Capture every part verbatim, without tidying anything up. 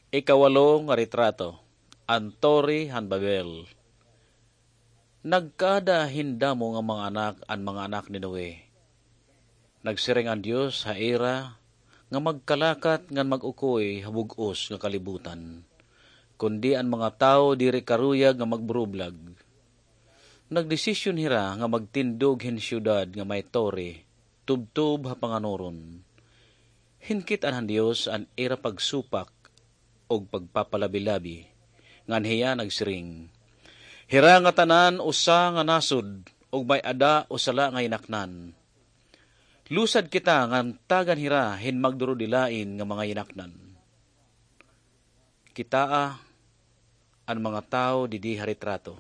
Ikawalo nga retrato, an Tore han Babel. Nagkaada hin damo nga mga anak an mga anak ni Noe. Nagsiring an Dios ha ira nga magkalakat ngan mag-ukoy ha bug-os nga kalibutan, kundi an mga tawo diri karuyag nga magburublag. Nagdesisyon hira nga magtindog hin syudad nga may tore tubtob ha panganuron. Hinkit-an han Dios an ira pagsupak ug pagpapalabi-labi, ngan hiya nagsiring, "Hira ngatanan usa nga nasod, ug may-ada usa la nga yinaknan. Lusad kita ngan tagan hira hin magdurudilain nga mga yinaknan." Kitaa an mga tawo didi ha retrato.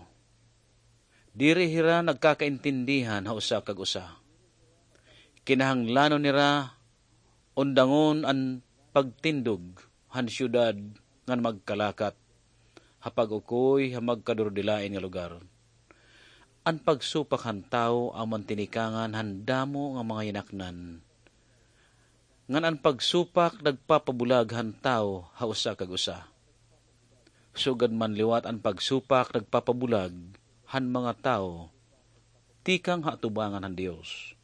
Diri hira nagkakaintindihan ha usa kag usa. Kinahanglanon nira undangon an pagtindog han syudad ngan magkalakat ha pag-ukoy ha magkadurudilain nga lugar. An pagsupak han tawo amo an tinikangan han damo nga mga yinaknan. Ngan an pagsupak nagpapabulag han tawo ha usa kag usa. Sugad man liwat an pagsupak nagpapabulag han mga tawo tikang ha atubangan han Dios.